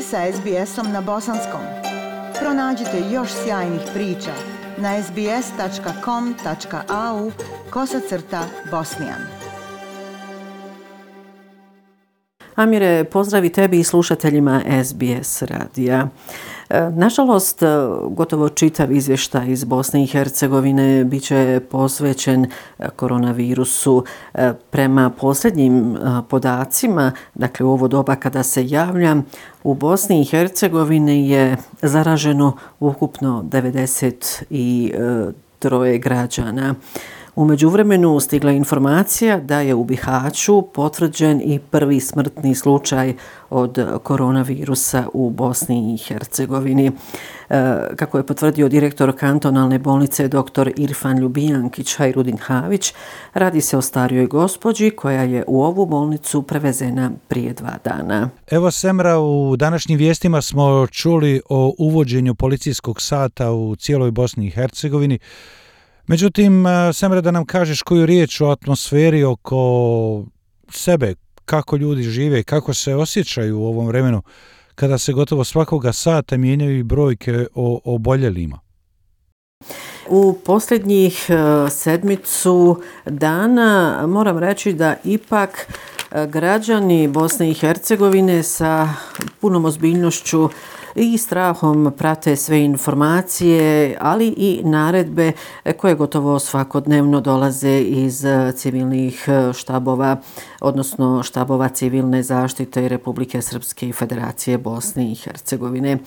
ste sa SBS-om na bosanskom. Pronađite još sjajnih priča na sbs.com.au/bosnijan. Amire, pozdravi tebi i slušateljima SBS radija. Nažalost, gotovo čitav izvještaj iz Bosne i Hercegovine bit će posvećen koronavirusu. Prema posljednjim podacima, dakle u ovo doba kada se javljam, u Bosni i Hercegovini je zaraženo ukupno 93 građana. U međuvremenu stigla informacija da je u Bihaću potvrđen i prvi smrtni slučaj od koronavirusa u Bosni i Hercegovini. Kako je potvrdio direktor kantonalne bolnice dr. Irfan Ljubijankić Hajrudin Havić, radi se o starijoj gospođi koja je u ovu bolnicu prevezena prije 2 dana. Evo Semra, u današnjim vijestima smo čuli o uvođenju policijskog sata u cijeloj Bosni i Hercegovini. Međutim, Semre, da nam kažeš koju riječ o atmosferi oko sebe, kako ljudi žive i kako se osjećaju u ovom vremenu kada se gotovo svakoga sata mijenjaju i brojke o oboljelima. U posljednjih sedmicu dana moram reći da ipak građani Bosne i Hercegovine sa punom ozbiljnošću i strahom prate sve informacije, ali i naredbe koje gotovo svakodnevno dolaze iz civilnih štabova, odnosno štabova civilne zaštite Republike Srpske i Federacije Bosne i Hercegovine.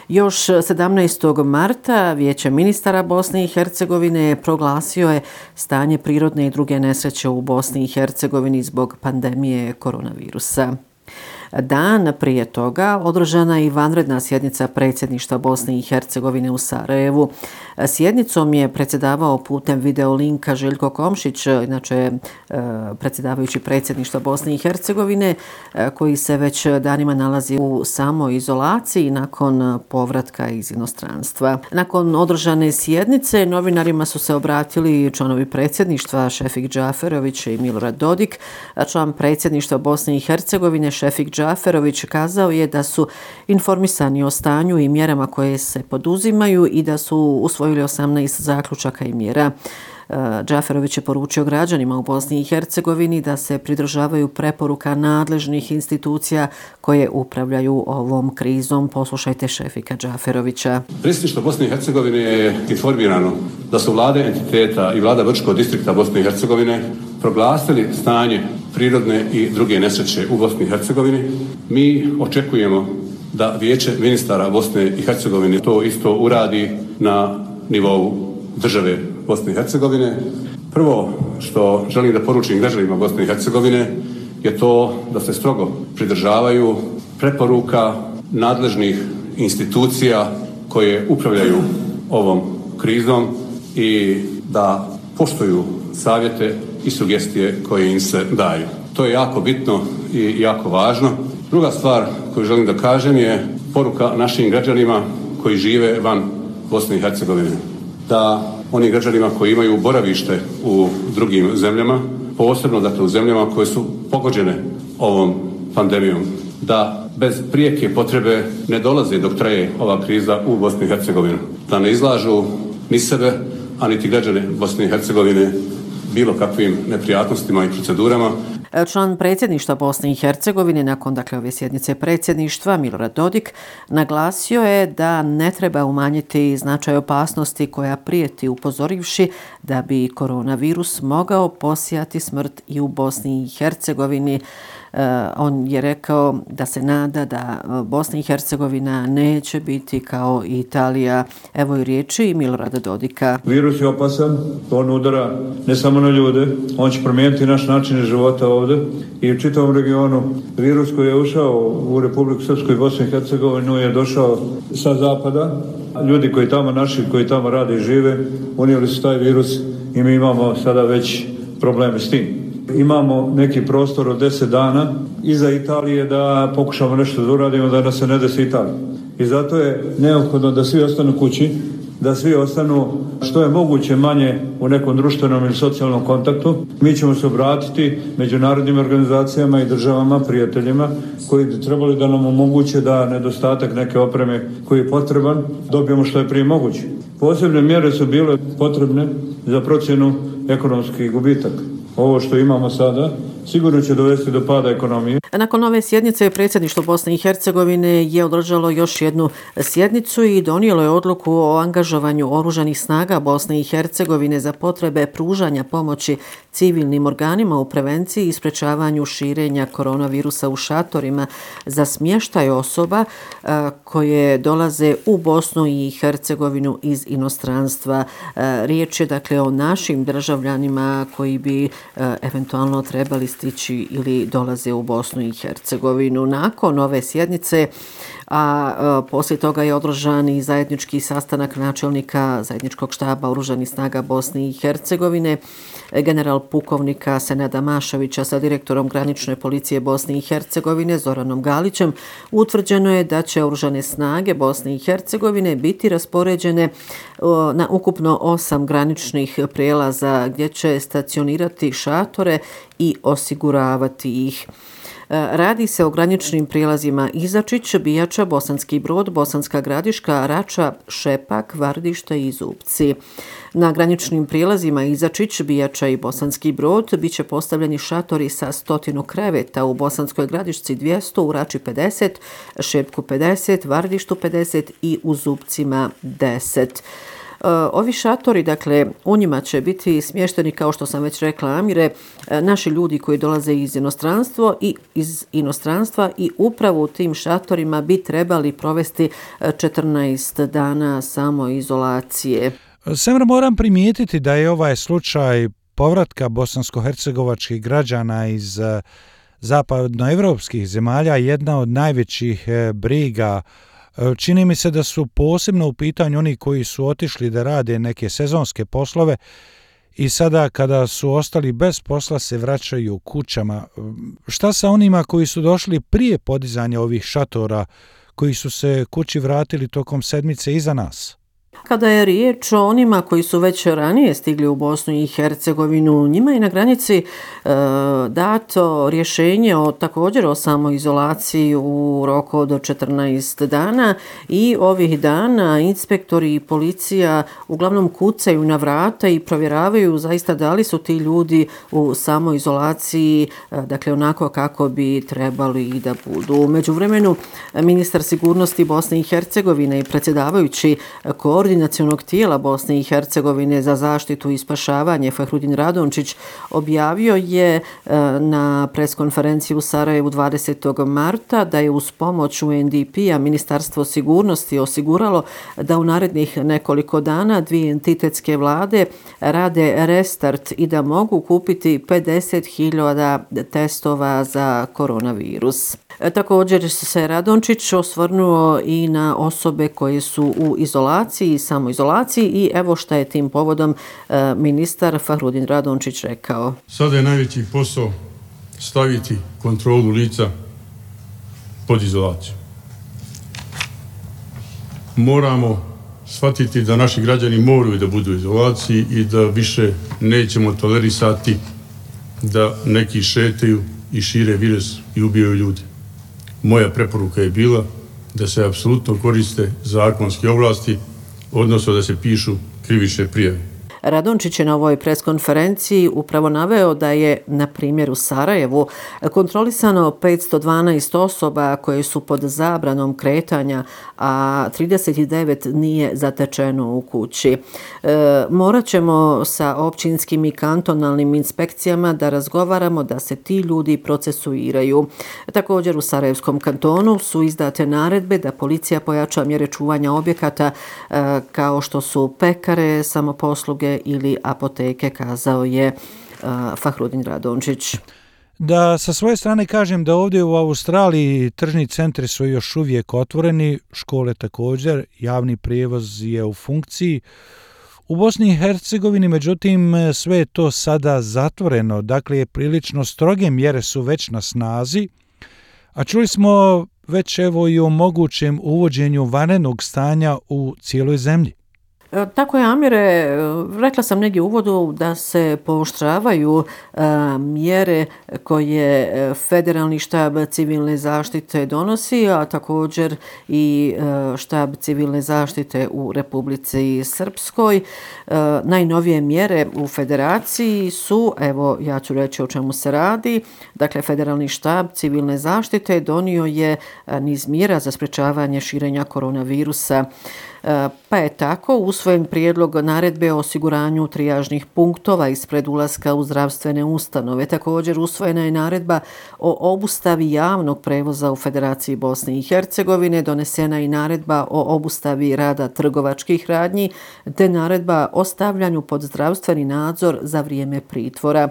Još 17. marta Vijeće ministara Bosne i Hercegovine proglasio je stanje prirodne i druge nesreće u Bosni i Hercegovini zbog pandemije koronavirusa. Dan prije toga održana je i vanredna sjednica predsjedništva Bosne i Hercegovine u Sarajevu. Sjednicom je predsjedavao putem videolinka Željko Komšić, inače predsjedavajući predsjedništva Bosne i Hercegovine, koji se već danima nalazi u samoizolaciji nakon povratka iz inostranstva. Nakon održane sjednice novinarima su se obratili članovi predsjedništva Šefik Džaferović i Milorad Dodik. Član predsjedništva Bosne i Hercegovine Šefik Džaferović kazao je da su informisani o stanju i mjerama koje se poduzimaju i da su usvojili 18 zaključaka i mjera. Džaferović je poručio građanima u Bosni i Hercegovini da se pridržavaju preporuka nadležnih institucija koje upravljaju ovom krizom. Poslušajte Šefika Džaferovića. Predsjedništvo Bosne i Hercegovine je informirano da su vlade entiteta i vlada Brčkog distrikta Bosne i Hercegovine proglasili stanje prirodne i druge nesreće u Bosni i Hercegovini. Mi očekujemo da Vijeće ministara Bosne i Hercegovine to isto uradi na nivou države Bosne i Hercegovine. Prvo što želim da poručim građanima Bosne i Hercegovine je to da se strogo pridržavaju preporuka nadležnih institucija koje upravljaju ovom krizom i da poštuju savjete i sugestije koje im se daju. To je jako bitno i jako važno. Druga stvar koju želim da kažem je poruka našim građanima koji žive van Bosne i Hercegovine. Da onim građanima koji imaju boravište u drugim zemljama, posebno dakle u zemljama koje su pogođene ovom pandemijom, da bez prijeke potrebe ne dolaze dok traje ova kriza u Bosni i Hercegovini. Da ne izlažu ni sebe, a niti građane Bosne i Hercegovine bilo kakvim neprijatnostima i procedurama. Član predsjedništva Bosne i Hercegovine nakon ove sjednice predsjedništva Milorad Dodik naglasio je da ne treba umanjiti značaj opasnosti koja prijeti, upozorivši da bi koronavirus mogao posijati smrt i u Bosni i Hercegovini. On je rekao da se nada da Bosna i Hercegovina neće biti kao Italija. Evo i riječi Milorada Dodika. Virus je opasan, on udara ne samo na ljude, on će promijeniti naš način života ovdje i u čitavom regionu. Virus koji je ušao u Republiku Srpsku i Bosnu i Hercegovinu je došao sa zapada. Ljudi koji tamo naši, koji tamo rade i žive, unijeli su taj virus i mi imamo sada već probleme s tim. Imamo neki prostor od 10 dana iza Italije da pokušamo nešto da uradimo da nas se ne desi Italija. I zato je neophodno da svi ostanu kući, da svi ostanu što je moguće manje u nekom društvenom ili socijalnom kontaktu. Mi ćemo se obratiti međunarodnim organizacijama i državama, prijateljima, koji bi trebali da nam omoguće da nedostatak neke opreme koji je potreban dobijemo što je prije moguće. Posebne mjere su bile potrebne za procjenu ekonomskih gubitaka. Ovo što imamo sada sigurno će dovesti do pada ekonomije. Nakon ove sjednice predsjedništvo Bosne i Hercegovine je održalo još jednu sjednicu i donijelo je odluku o angažovanju oružanih snaga Bosne i Hercegovine za potrebe pružanja pomoći civilnim organima u prevenciji i sprečavanju širenja koronavirusa u šatorima za smještaj osoba koje dolaze u Bosnu i Hercegovinu iz inostranstva. Riječ je dakle o našim državljanima koji bi eventualno trebali stići ili dolaze u Bosnu i Hercegovinu. Nakon ove sjednice, a poslije toga je održan i zajednički sastanak načelnika zajedničkog štaba Oružanih snaga Bosne i Hercegovine, general pukovnika Senada Mašovića sa direktorom granične policije Bosne i Hercegovine Zoranom Galićem, utvrđeno je da će Oružane snage Bosne i Hercegovine biti raspoređene na ukupno 8 graničnih prijelaza gdje će stacionirati šatore i osiguravati ih. Radi se o graničnim prijelazima Izačić, Bijača, Bosanski Brod, Bosanska Gradiška, Rača, Šepak, Vardište i Zupci. Na graničnim prijelazima Izačić, Bijača i Bosanski Brod biće postavljeni šatori sa 100 kreveta, u Bosanskoj Gradišci 200, u Rači 50, Šepku 50, Vardištu 50 i u Zupcima 10. Ovi šatori, dakle, u njima će biti smješteni, kao što sam već rekla, Amire, naši ljudi koji dolaze iz inostranstva i upravo u tim šatorima bi trebali provesti 14 dana samoizolacije. Semra, moram primijetiti da je ovaj slučaj povratka bosansko-hercegovačkih građana iz zapadnoevropskih zemalja jedna od najvećih briga. Čini mi se da su posebno u pitanju oni koji su otišli da rade neke sezonske poslove i sada kada su ostali bez posla se vraćaju kućama. Šta sa onima koji su došli prije podizanja ovih šatora, koji su se kući vratili tokom sedmice iza nas? Kada je riječ o onima koji su već ranije stigli u Bosnu i Hercegovinu, njima je na granici dato rješenje također o samoizolaciji u roku od 14 dana i ovih dana inspektori i policija uglavnom kucaju na vrata i provjeravaju zaista da li su ti ljudi u samoizolaciji, dakle onako kako bi trebali i da budu. U međuvremenu ministar sigurnosti Bosne i Hercegovine i predsjedavajući koordinacionog tijela Bosne i Hercegovine za zaštitu i spašavanje Fahrudin Radončić objavio je na preskonferenciji u Sarajevu 20. marta da je uz pomoć UNDP-a Ministarstvo sigurnosti osiguralo da u narednih nekoliko dana dvije entitetske vlade rade restart i da mogu kupiti 50.000 testova za koronavirus. Također se Radončić osvrnuo i na osobe koje su u izolaciji, samoizolaciji i evo šta je tim povodom ministar Fahrudin Radončić rekao. Sada je najveći posao staviti kontrolu lica pod izolaciju. Moramo shvatiti da naši građani moraju da budu u izolaciji i da više nećemo tolerisati da neki šetaju i šire virus i ubijaju ljude. Moja preporuka je bila da se apsolutno koriste zakonske ovlasti, odnosno da se pišu krivične prijave. Radončić je na ovoj preskonferenciji upravo naveo da je, na primjer, u Sarajevu kontrolisano 512 osoba koje su pod zabranom kretanja, a 39 nije zatečeno u kući. Morat ćemo sa općinskim i kantonalnim inspekcijama da razgovaramo da se ti ljudi procesuiraju. Također u Sarajevskom kantonu su izdate naredbe da policija pojača mjere čuvanja objekata kao što su pekare, samoposluge ili apoteke, kazao je Fahrudin Radončić. Da sa svoje strane kažem da ovdje u Australiji tržni centri su još uvijek otvoreni, škole također, javni prijevoz je u funkciji. U Bosni i Hercegovini, međutim, sve je to sada zatvoreno, dakle prilično stroge mjere su već na snazi, a čuli smo već evo i o mogućem uvođenju vanrednog stanja u cijeloj zemlji. Tako je, Amire. Rekla sam negdje u uvodu da se pooštravaju mjere koje Federalni štab civilne zaštite donosi, a također i štab civilne zaštite u Republici Srpskoj. Najnovije mjere u federaciji su, evo ja ću reći o čemu se radi. Dakle, Federalni štab civilne zaštite donio je niz mjera za sprečavanje širenja koronavirusa. Pa je tako usvojen prijedlog naredbe o osiguranju trijažnih punktova ispred ulaska u zdravstvene ustanove. Također usvojena je naredba o obustavi javnog prevoza u Federaciji Bosne i Hercegovine, donesena je i naredba o obustavi rada trgovačkih radnji, te naredba o stavljanju pod zdravstveni nadzor za vrijeme pritvora.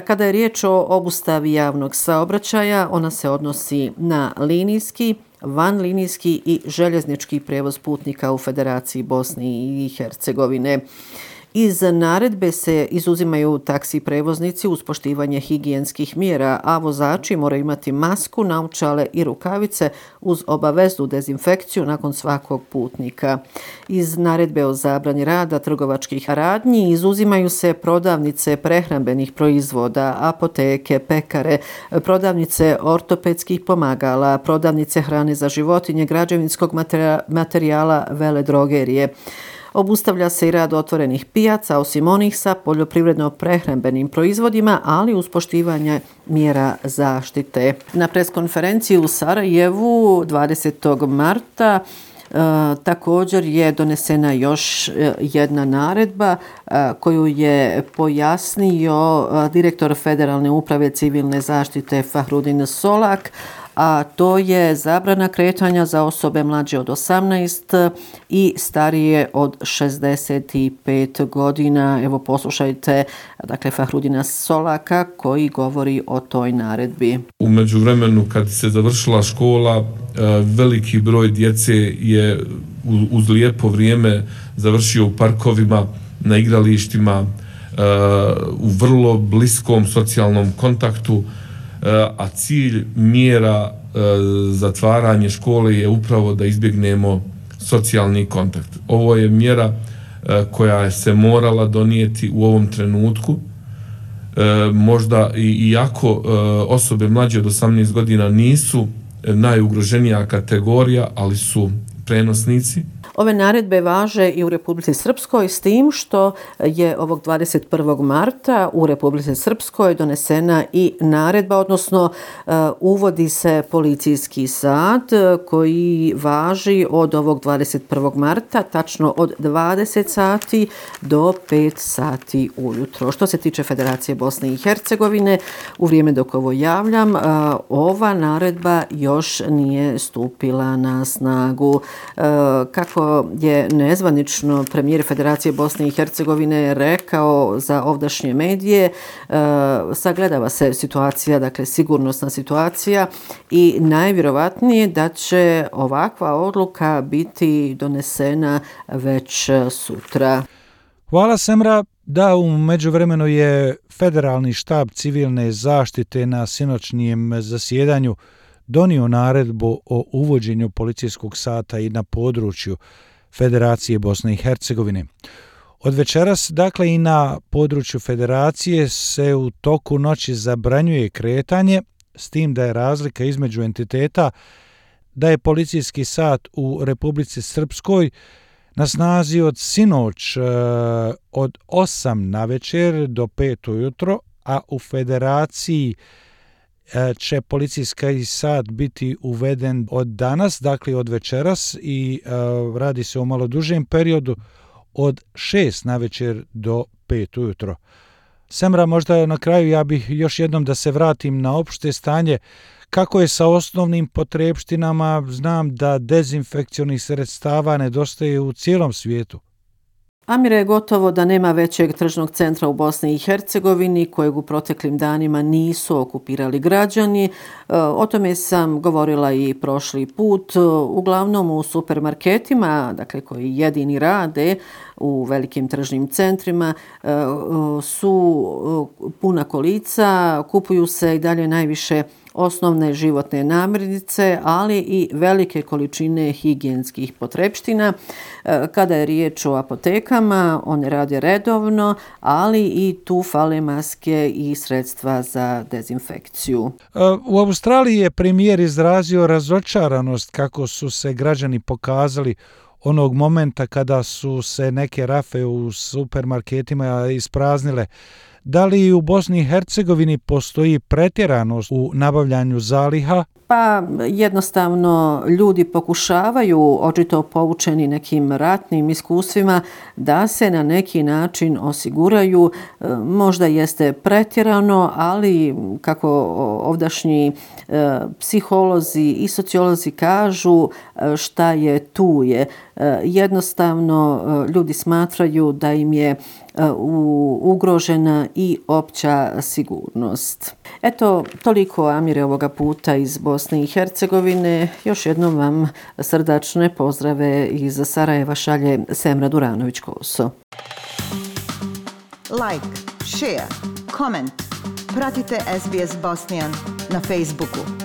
Kada je riječ o obustavi javnog saobraćaja, ona se odnosi na linijski, vanlinijski i željeznički prijevoz putnika u Federaciji Bosne i Hercegovine. Iz naredbe se izuzimaju taksi prevoznici uz poštivanje higijenskih mjera, a vozači moraju imati masku, naočale i rukavice uz obaveznu dezinfekciju nakon svakog putnika. Iz naredbe o zabrani rada trgovačkih radnji izuzimaju se prodavnice prehrambenih proizvoda, apoteke, pekare, prodavnice ortopedskih pomagala, prodavnice hrane za životinje, građevinskog materijala, veledrogerije. Obustavlja se i rad otvorenih pijaca, osim onih sa poljoprivredno-prehrambenim proizvodima, ali uz poštivanje mjera zaštite. Na preskonferenciji u Sarajevu 20. marta također je donesena još jedna naredba koju je pojasnio direktor Federalne uprave civilne zaštite Fahrudin Solak, a to je zabrana kretanja za osobe mlađe od 18 i starije od 65 godina. Evo poslušajte, dakle, Fahrudina Solaka koji govori o toj naredbi. U međuvremenu kad se završila škola, veliki broj djece je uz lijepo vrijeme završio u parkovima, na igralištima, u vrlo bliskom socijalnom kontaktu, a cilj mjera zatvaranje škole je upravo da izbjegnemo socijalni kontakt. Ovo je mjera koja se morala donijeti u ovom trenutku. Možda iako osobe mlađe od 18 godina nisu najugroženija kategorija, ali su prenosnici. Ove naredbe važe i u Republici Srpskoj, s tim što je ovog 21. marta u Republici Srpskoj donesena i naredba, odnosno uvodi se policijski sat koji važi od ovog 21. marta, tačno od 20 sati do 5 sati ujutro. Što se tiče Federacije Bosne i Hercegovine, u vrijeme dok ovo javljam, ova naredba još nije stupila na snagu. Kako je nezvanično premijer Federacije Bosne i Hercegovine rekao za ovdašnje medije, sagledava se situacija, dakle sigurnosna situacija, i najvjerovatnije da će ovakva odluka biti donesena već sutra. Hvala, Semra. Da, u međuvremenu je Federalni štab civilne zaštite na sinoćnijem zasjedanju donio naredbu o uvođenju policijskog sata i na području Federacije Bosne i Hercegovine. Od večeras, dakle, i na području Federacije se u toku noći zabranjuje kretanje, s tim da je razlika između entiteta da je policijski sat u Republici Srpskoj na snazi od sinoć od 8 navečer do 5 ujutro, a u Federaciji će policijski sat biti uveden od danas, dakle od večeras, i radi se o malo dužem periodu od 6 navečer do 5 ujutro. Semra, možda na kraju ja bih još jednom da se vratim na opšte stanje. Kako je sa osnovnim potrepštinama? Znam da dezinfekcionih sredstava nedostaje u cijelom svijetu. Amire, je gotovo da nema većeg tržnog centra u Bosni i Hercegovini kojeg u proteklim danima nisu okupirali građani. O tome sam govorila i prošli put. Uglavnom u supermarketima, dakle koji jedini rade u velikim tržnim centrima, su puna kolica, kupuju se i dalje najviše osnovne životne namirnice, ali i velike količine higijenskih potrepština. Kada je riječ o apotekama, one rade redovno, ali i tu fale maske i sredstva za dezinfekciju. U Australiji je premijer izrazio razočaranost kako su se građani pokazali onog momenta kada su se neke rafe u supermarketima ispraznile. Da li u Bosni i Hercegovini postoji pretjeranost u nabavljanju zaliha? Pa jednostavno ljudi pokušavaju, očito poučeni nekim ratnim iskustvima, da se na neki način osiguraju. Možda jeste pretjerano, ali kako ovdašnji psiholozi i sociolozi kažu, šta je tu je. Jednostavno ljudi smatraju da im je ugrožena i opća sigurnost. Eto, toliko, Amire, ovoga puta iz Bosne i Hercegovine. Još jednom vam srdačne pozdrave iz Sarajeva šalje Semra Duranović-Koso. Like, share, comment. Pratite SBS Bosnian na Facebooku.